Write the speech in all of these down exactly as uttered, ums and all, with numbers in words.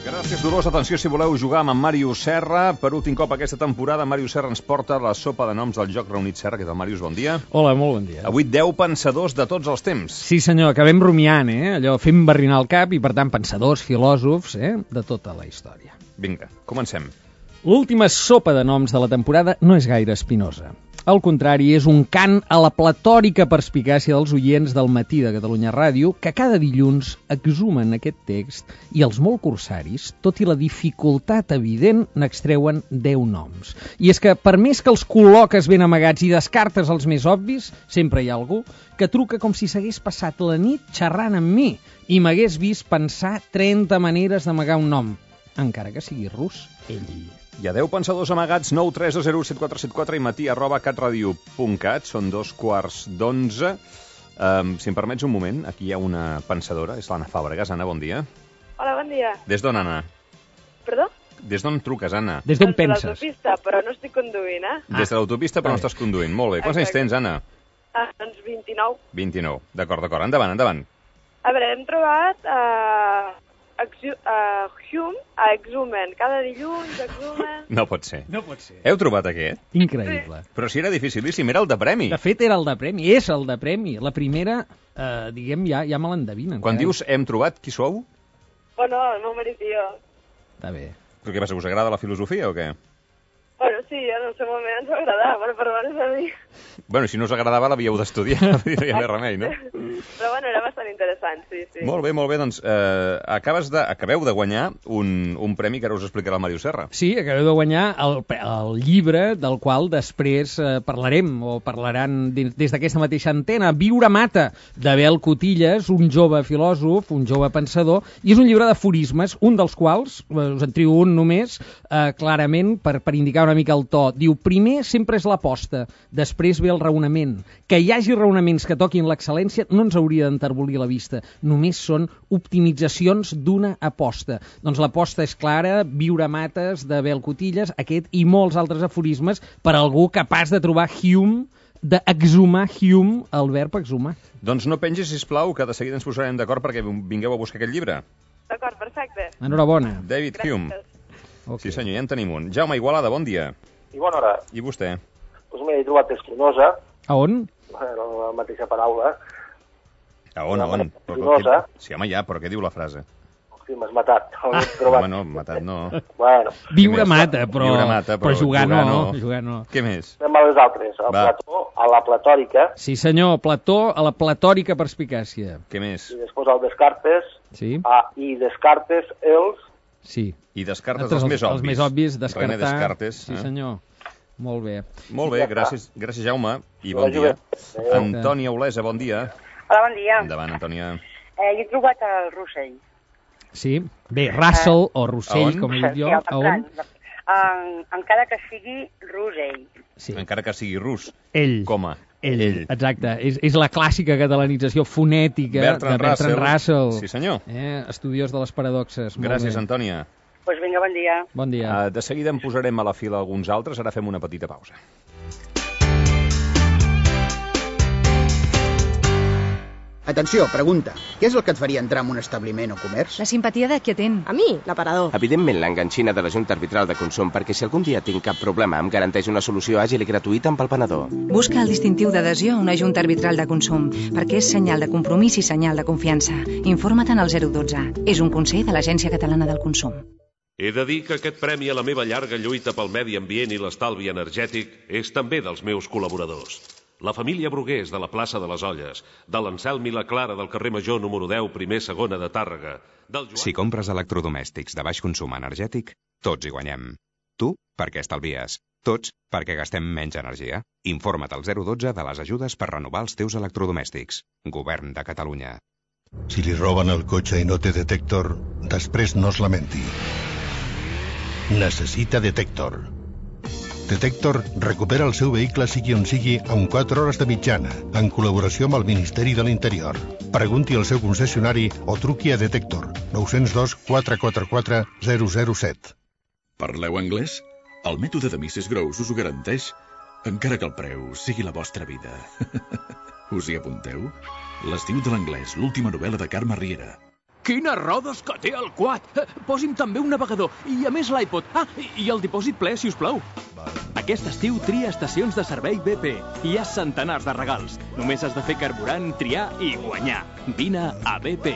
Gràcies, Dolors. Atenció, si voleu jugar amb en Màrius Serra. Per últim cop aquesta temporada, Màrius Serra ens porta la sopa de noms del Joc Reunit Serra. Què tal, Màrius? Bon dia. Hola, molt bon dia. Avui deu pensadors de tots els temps. Sí, senyor, acabem rumiant, eh? Allò, fem barrinar el cap i, per tant, pensadors, filòsofs, eh? De tota la història. Vinga, comencem. L'última sopa de noms de la temporada no és gaire espinosa. Al contrari, és un cant a la platòrica perspicàcia dels oients del Matí de Catalunya Ràdio, que cada dilluns exhumen aquest text i els molt corsaris, tot i la dificultat evident, n'extreuen deu noms. I és que, per més que els col·loques ben amagats i descartes els més obvis, sempre hi ha algú que truca com si s'hagués passat la nit xerrant amb mi i m'hagués vist pensar trenta maneres d'amagar un nom, encara que sigui rus, ell. Hi ha deu pensadors amagats, nou tres dos zero set quatre set quatre i matí arroba catradio punt cat. Són dos quarts d'onze. Um, si em permets un moment, aquí hi ha una pensadora, és l'Anna Fàbregas. Anna, bon dia. Hola, bon dia. Des d'on, Anna? Perdó? Des d'on truques, Anna? Des d'on Des de penses? l'autopista, però no estic conduint, eh? Ah. Des de l'autopista, però no estàs conduint. Molt bé. Quants anys tens, Anna? Ah, doncs vint-i-nou. vint-i-nou. D'acord, d'acord. Endavant, endavant. A veure, hem trobat uh, exu uh, Hume a Exhumen. Cada dilluns, Exhumen... No pot ser. No pot ser. Heu trobat aquest? Increïble. Però si era dificilíssim, era el de premi. De fet, era el de premi, és el de premi. La primera, eh, diguem, ja, ja me l'endevinen. Quan carai. dius hem trobat, qui sou? Bueno, el meu marit i jo. Està bé. Però què passa, us agrada la filosofia o què? Bueno, sí, en el seu moment ens va agradar, però per veure a mi. Bueno, si no us agradava l'havíeu d'estudiar, no hi ha més remei, no? Però bueno, era bastant interessant, sí, sí. Molt bé, molt bé, doncs eh, acabes de, acabeu de guanyar un, un premi que ara us explicarà el Màrius Serra. Sí, acabeu de guanyar el, el llibre del qual després eh, parlarem, o parlaran des, des d'aquesta mateixa antena, Viure mata, d'Abel Cotillas, un jove filòsof, un jove pensador, i és un llibre d'aforismes, un dels quals, eh, us en trio un només, eh, clarament, per, per indicar una mica el to. Diu, primer sempre és l'aposta, després ve el raonament. Que hi hagi raonaments que toquin l'excel·lència no ens hauria d'enterbolir la vista. Només són optimitzacions d'una aposta. Doncs l'aposta és clara, Viure mates, d'Abel Cotillas, aquest i molts altres aforismes per a algú capaç de trobar Hume, d'exhumar Hume, el verb exhumar. Doncs no pengis, sisplau, que de seguida ens posarem d'acord perquè vingueu a buscar aquest llibre. D'acord, perfecte. Enhorabona. David Gràcies. Hume. Okay. Sí senyor, ja en tenim un. Jaume Igualada, bon dia. I bona hora. I vostè? Doncs m'he trobat Espinosa, A on? la mateixa paraula. A on, a on? Però, Espinosa. què... Sí, home, ja, però què diu la frase? Hosti, m'has matat. Ah. Trobat... Home, no, matat no. Bueno, Viure Què més? mata, però, Viure mata, però però jugar, jugar no, no. jugar no. Què més? anem a les altres. A Va. Plató, a la platòrica, Sí senyor, Plató a la platòrica perspicàcia. Què més? i després al Descartes, Sí, a, i Descartes els... sí. I descartes Altres, els més obvis. Els més obvis, descartar. René Descartes. Sí eh? senyor. Molt bé. Molt bé, gràcies, gràcies Jaume, i bon dia. Antònia Olesa, bon dia. Hola, bon dia. Endavant, Antònia. Eh, he trobat el Rossell. Sí, bé, Russell o A Rossell, on? com he dit jo. Sí, A on? En, encara que sigui Rossell. Sí, Encara que sigui rus. ell. Com a? Ell, exacte. És, és la clàssica catalanització fonètica Bertrand de Bertrand Russell. Russell. Sí, senyor. Eh, estudiós de les paradoxes. Molt Gràcies, bé. Antònia. Doncs pues vinga, bon dia. Bon dia. Uh, de seguida en posarem a la fila alguns altres, ara fem una petita pausa. Atenció, pregunta. Què és el que et faria entrar en un establiment o comerç? La simpatia de qui atén. A mi, l'aparador. Evidentment, l'enganxina de la Junta Arbitral de Consum, perquè si algun dia tinc cap problema em garanteix una solució àgil i gratuïta amb el penedor. Busca el distintiu d'adhesió a una Junta Arbitral de Consum, perquè és senyal de compromís i senyal de confiança. Informa't en el zero dotze. És un consell de l'Agència Catalana del Consum. He de dir que aquest premi a la meva llarga lluita pel medi ambient i l'estalvi energètic és també dels meus col·laboradors. La família Brugués, de la plaça de les Olles, de l'Anselm i la Clara del carrer Major número deu, primer segona de Tàrrega, del Joan... Si compres electrodomèstics de baix consum energètic, tots hi guanyem. Tu, perquè estalvies. Tots, perquè gastem menys energia. Informa't al zero dotze de les ajudes per renovar els teus electrodomèstics. Govern de Catalunya. Si li roben el cotxe i no té detector, després no es lamenti. Necessita detector. Detector recupera el seu vehicle sigui on sigui en quatre hores de mitjana, en col·laboració amb el Ministeri de l'Interior. Pregunti al seu concessionari o truqui a Detector, nou zero dos quatre quatre quatre zero zero set. Parleu anglès? El mètode de missus Gross us ho garanteix, encara que el preu sigui la vostra vida. Us hi apunteu? L'estiu de l'anglès, l'última novel·la de Carme Riera. Quines rodes que té el quad! Posi'm també un navegador, i a més l'iPod. Ah, i el dipòsit ple, si us plau. Aquest estiu tria estacions de servei B P. Hi ha centenars de regals. Només has de fer carburant, triar i guanyar. Vine a B P.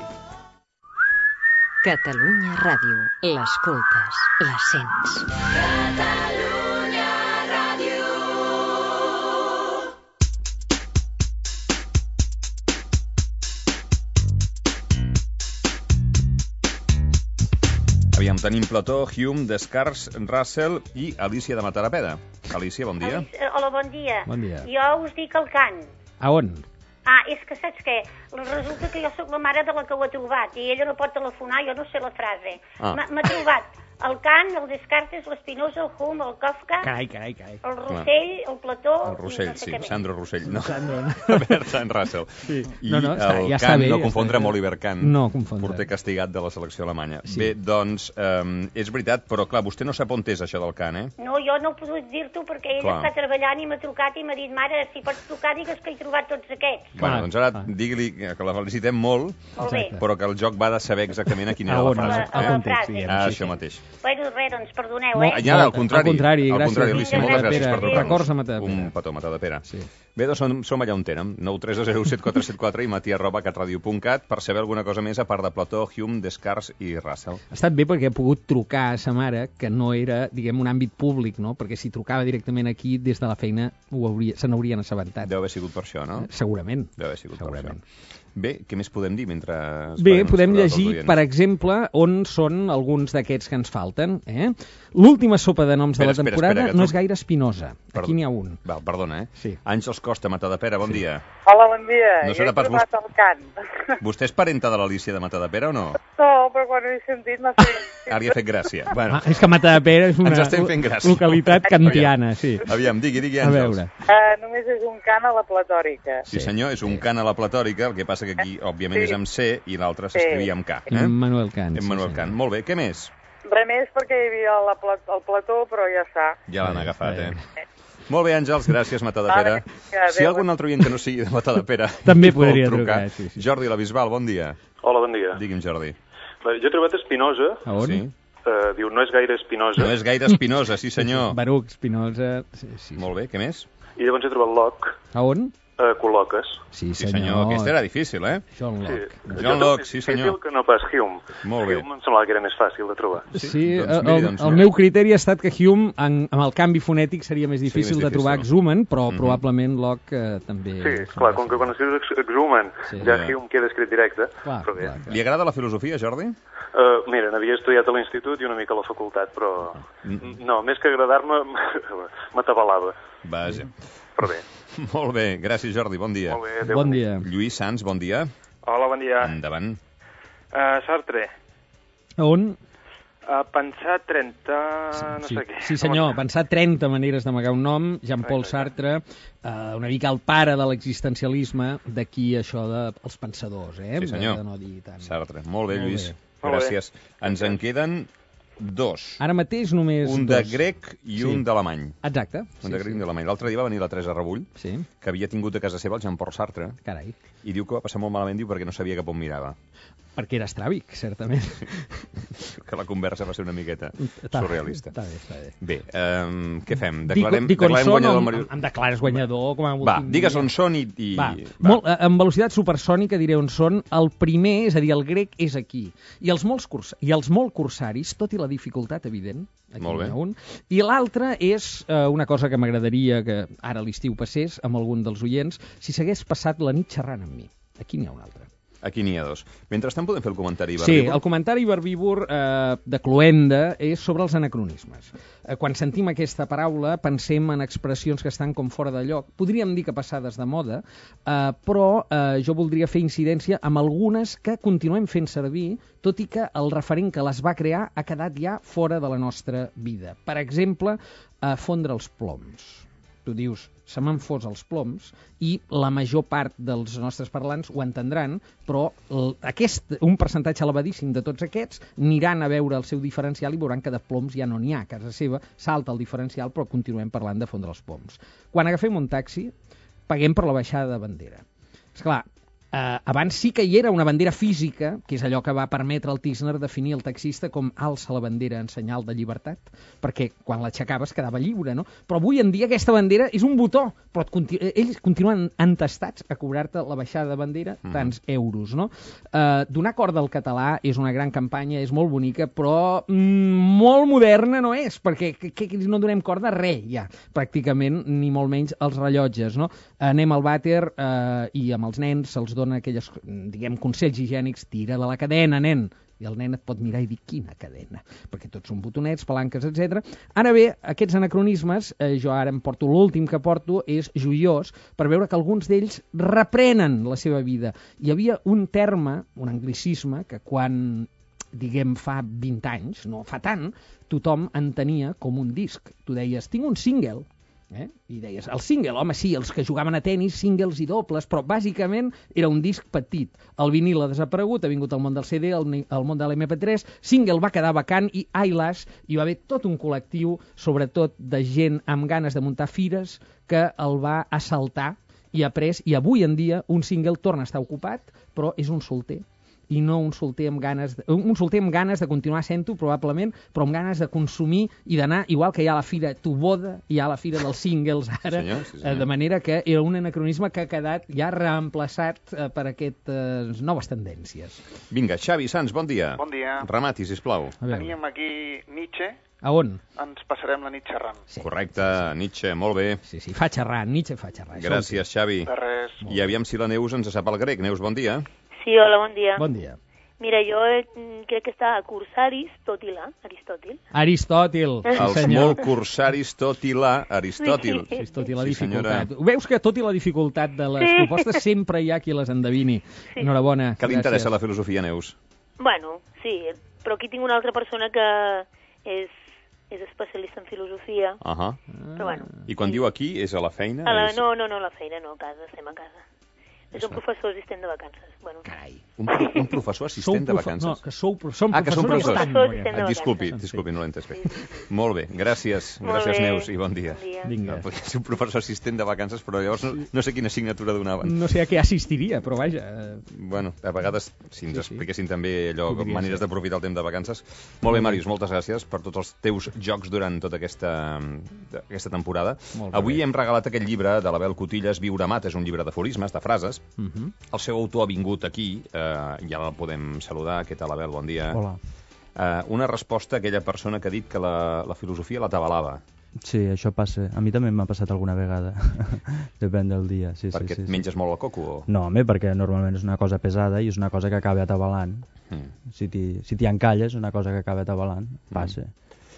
Catalunya Ràdio. L'escoltes, la sents. Catalunya Ràdio. Aviam, tenim Plató, Hume, Descartes, Russell i Alicia de Matadepera. Alicia, bon dia. Alicia, hola, bon dia. Bon dia. Jo us dic el Kant. A on? Ah, és que saps què? Resulta que jo sóc la mare de la que ho ha trobat i ella no pot telefonar, jo no sé la frase. Ah. M'ha trobat el Kant, el Descartes, l'Espinosa, el Hume, el Kafka, Carai, carai, carai. el Rossell, el Plató... El Rossell, no sé sí, Sandro Rossell. No, Sandro. Bertrand Russell. Sí. I No, no, està- el ja està Kant, bé, no ja confondre està amb bé. Oliver Kant. No confondre. Porter castigat de la selecció alemanya. Sí. Bé, doncs, eh, és veritat, però clar, vostè no sap on és això del Kant, eh? No, jo no he pogut dir-t'ho perquè ella Clar. està treballant i m'ha trucat i m'ha dit, mare, si pots trucar, digues que he trobat tots aquests. Bueno, doncs ara digui-li que la felicitem molt, Molt bé. però que el joc va de saber exactament a quina A era on, la frase. a la- a la frase. Ah, Sí, això mateix. Bueno, res, doncs, perdoneu, Molt- eh? Ja, al contrari. Al contrari, al gràcies. contrari, Alicia, moltes gràcies Matadepera. per trucar-nos. Records a Matadepera. Un petó, Matadepera. Sí. Bé, doncs som, som allà on tenen, nou tres zero set quatre set quatre i matí arroba catradio punt cat per saber alguna cosa més a part de Plató, Hume, Descartes i Russell. Ha estat bé perquè he pogut trucar a sa mare, que no era, diguem, un àmbit públic, no? Perquè si trucava directament aquí, des de la feina, ho hauria, se n'haurien assabentat. Deu haver sigut per això, no? Segurament. Deu haver sigut Segurament. per això. Bé, què més podem dir mentre... Bé, esperem podem saludar els llegir, oients? per exemple, on són alguns d'aquests que ens falten. Eh? L'última sopa de noms Espera, de la espera, temporada espera, que no tu- és gaire espinosa. Perdó. Aquí n'hi ha un. Val, perdona, eh? Sí. Àngels Costa, Matadepera, bon dia. Hola, bon dia. No Jo serà he pas trobat vos- el Kant. Vostè és parenta de l'Alicia de Matadepera o no? No, però quan ho he sentit m'ha fet... Ara li ha fet gràcia. Bueno, Ah, és que Matadepera és una ens estem fent gràcia. localitat kantiana, sí. Aviam, digui, digui, A Àngels. veure. Uh, només és un Kant a la platòrica. Sí, senyor, és un cant a la platòrica, el que passa que aquí, òbviament, és amb C i l'altre s'escrivia amb K. Eh? Immanuel Kant. Immanuel Kant. Molt bé, què més? Res més perquè hi havia la pla el plató, però ja està. Ja l'han agafat, eh? Molt bé, Àngels, gràcies, Matadepera. Vale, adéu. Si hi ha algun altre oient que no sigui de Matadepera... També vol podria trucar, sí, sí. Jordi la Bisbal, bon dia. Hola, bon dia. Digui'm, Jordi. Bé, jo he trobat Espinosa. A on? Sí. Eh, diu, no és gaire Espinosa. No és gaire Espinosa, sí senyor. Baruch, Spinoza... Sí, sí. Molt bé, què més? I llavors he trobat Locke. A on? Eh, col·loques. Sí, Sí, senyor, aquest era difícil, eh? John Locke. John Locke, sí, És senyor. difícil que no pas Hume. Molt bé. Hume em semblava que era més fàcil de trobar. Sí, doncs el, miri, el, doncs el no. meu criteri ha estat que Hume, en, amb el canvi fonètic, seria més Seria difícil més de trobar difícil. exhumen, però Mhm. probablement Locke eh, també... Sí, clar, com que quan escrius ex- exhumen, Sí. ja Ja. Hume queda escrit directe. Clar, però bé. clar, clar. Li agrada la filosofia, Jordi? Uh, mira, n'havia estudiat a l'institut i una mica a la facultat, però... No, més que agradar-me, m'atabalava. Vaja. Però bé. Molt bé, gràcies, Jordi, bon dia. Molt bé, adéu. Bon dia. Lluís Sans, bon dia. Hola, bon dia. Endavant. Uh, Sartre. A on? Uh, pensar trenta... no Sí, sé què. sí, senyor, pensar trenta maneres d'amagar un nom, Jean-Paul Sartre, eh, una mica el pare de l'existencialisme, d'aquí això dels pensadors, eh? Sí, senyor. De no dir tant. Sartre. Molt bé, Molt Lluís. bé. Molt bé. Gràcies. Ens en queden dos. Ara mateix només Un de dos. grec i Sí. un d'alemany. Exacte. Un de grec i un d'alemany. L'altre dia va venir la Teresa Rebull, Sí, que havia tingut a casa seva el Jean-Paul Sartre, carai. i diu que va passar molt malament, diu, perquè no sabia cap on mirava. Perquè era estràbic, certament. Que la conversa va ser una miqueta Està bé, surrealista. Està bé, està bé. Bé, um, què fem? Dic- Declarem, dic on declarem són guanyador o el em, Marius... em declares guanyador com a Va, últim digues dia? on són i... i... Va, Molt, eh, amb velocitat supersònica diré on són. El primer, és a dir, el grec, és aquí. I els, molts curs, i els molt cursaris, tot i la dificultat evident, aquí Molt bé. n'hi ha un. I l'altre és eh, una cosa que m'agradaria que ara a l'estiu passés amb algun dels oients, si s'hagués passat la nit xerrant amb mi. Aquí n'hi ha un altre. Aquí n'hi ha dos. Mentrestant podem fer el comentari Sí, verbívor? el comentari verbívor eh, de Cloenda és sobre els anacronismes. Eh, quan sentim aquesta paraula pensem en expressions que estan com fora de lloc. Podríem dir que passades de moda, eh, però eh, jo voldria fer incidència amb algunes que continuem fent servir, tot i que el referent que les va crear ha quedat ja fora de la nostra vida. Per exemple, eh, fondre els ploms. Tu dius, se m'han fos els ploms, i la major part dels nostres parlants ho entendran, però el, aquest, un percentatge elevadíssim de tots aquests aniran a veure el seu diferencial i veuran que de ploms ja no n'hi ha. A casa seva salta el diferencial, però continuem parlant de fondre els ploms. Quan agafem un taxi, paguem per la baixada de bandera. Esclar, Uh, abans sí que hi era una bandera física, que és allò que va permetre al Tirchner definir el taxista com alça la bandera en senyal de llibertat, perquè quan l'aixecaves quedava lliure, no? Però avui en dia aquesta bandera és un botó, però continu ells continuen entestats a cobrar-te la baixada de bandera Mhm. tants euros, no? Uh, donar corda al català és una gran campanya, és molt bonica, però mm, molt moderna no és, perquè que, que no donem corda a res, ja, pràcticament, ni molt menys als rellotges, no? Anem al vàter uh, i amb els nens se'ls dona aquelles, diguem, consells higiènics, tira de la cadena, nen, i el nen et pot mirar i dir quina cadena, perquè tots són botonets, palanques, etcètera. Ara bé, aquests anacronismes, eh, jo ara em porto l'últim que porto, és joiós per veure que alguns d'ells reprenen la seva vida. Hi havia un terme, un anglicisme, que quan, diguem, fa vint anys, no fa tant, tothom entenia com un disc. Tu deies, tinc un single, Eh? I deies, el single, home, sí, els que jugaven a tennis, singles i dobles, però bàsicament era un disc petit. El vinil ha desaparegut, ha vingut al món del C D, al, al món de l'M P tres, single va quedar vacant i Eyelash, hi va haver tot un col·lectiu, sobretot de gent amb ganes de muntar fires, que el va assaltar i ha pres, i avui en dia un single torna a estar ocupat, però és un solter. I no un solter amb ganes de, un solter amb ganes de continuar sent-ho, probablement, però amb ganes de consumir i d'anar, igual que hi ha la fira Tuboda, hi ha la fira dels singles ara, senyor, sí, senyor. Eh, de manera que era un anacronisme que ha quedat ja reemplaçat eh, per aquestes noves tendències. Vinga, Xavi Sans, bon dia. Bon dia. Remati, sisplau. Teníem aquí Nietzsche. A on? Ens passarem la nit xerrant. Sí. Correcte, Nietzsche, molt bé. Sí, sí, fa xerrar, Nietzsche fa xerrar. Gràcies, Xavi. De res. I aviam si la Neus ens sap el grec. Neus, bon dia. Sí, hola, bon dia. Bon dia. Mira, jo eh, crec que està a cursar Aristòtil, Aristòtil. Aristòtil, sí, Els senyor. molt cursaris, tot i la Aristòtil. Sí, sí, tot i la Sí, dificultat. senyora. Veus que tot i la dificultat de les Sí. propostes sempre hi ha qui les endevini. Sí. Enhorabona. Què li interessa la filosofia, Neus? Bueno, sí, però aquí tinc una altra persona que és, és especialista en filosofia. Uh -huh. Però bueno. I quan diu aquí, és a la feina? A la, és... no, no, no, a la feina, no, a casa, estem a casa. És un professor assistent de vacances. Bueno. Carai. Un, un professor assistent de vacances? No, que sou, som ah, que són professors professors. i estan. Ah, disculpi, disculpi, no l'he entès bé. Molt bé, gràcies. Molt Gràcies, bé. Neus, i bon dia. Bon dia. Vinga. No, podria ser un professor assistent de vacances, però llavors no, no sé quina assignatura donaven. No sé a què assistiria, però vaja. eh, Bueno, a vegades, si ens Sí, sí. expliquessin també allò, Podria maneres ser. d'aprofitar el temps de vacances. Molt bé, Màrius, moltes gràcies per tots els teus jocs durant tota aquesta, aquesta temporada. Molt bé. Avui hem regalat aquest llibre de l'Abel Cotillas, Viure Mat, és un llibre d'aforismes, de frases. Uh -huh. El seu autor ha vingut aquí, eh, ja el podem saludar. Què tal, Abel? Bon dia. Hola. Eh, una resposta a aquella persona que ha dit que la, la filosofia l'atabalava. Sí, això passa. A mi també m'ha passat alguna vegada. Depèn del dia. Sí, Perquè sí, sí, et sí. menges molt el coco? O... No, home, perquè normalment és una cosa pesada i és una cosa que acaba atabalant. Mm. Si t'hi si t'hi encalles, és una cosa que acaba atabalant. Passa.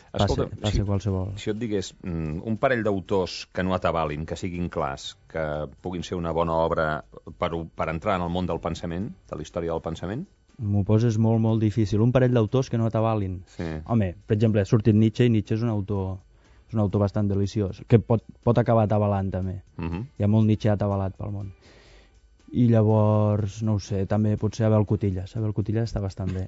Passa, Escolta, passa si, qualsevol. si jo et digués mm, un parell d'autors que no atabalin, que siguin clars, que puguin ser una bona obra per, per entrar en el món del pensament, de la història del pensament? M'ho poses molt, molt difícil. Un parell d'autors que no atabalin. Sí. Home, per exemple, ha sortit Nietzsche i Nietzsche és un autor, és un autor bastant deliciós, que pot, pot acabar atabalant també. Uh -huh. Hi ha molt Nietzsche atabalat pel món. I llavors, no ho sé, també potser Abel Cotillas. Abel Cotillas està bastant bé.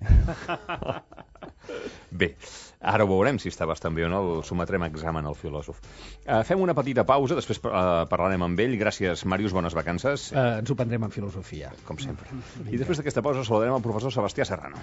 Bé, ara ho veurem si està bastant bé o no, el sometrem a examen al filòsof. Uh, fem una petita pausa, després uh, parlarem amb ell. Gràcies, Màrius, bones vacances. Uh, ens ho prendrem en filosofia. Com sempre. I després d'aquesta pausa saludarem el professor Sebastià Serrano.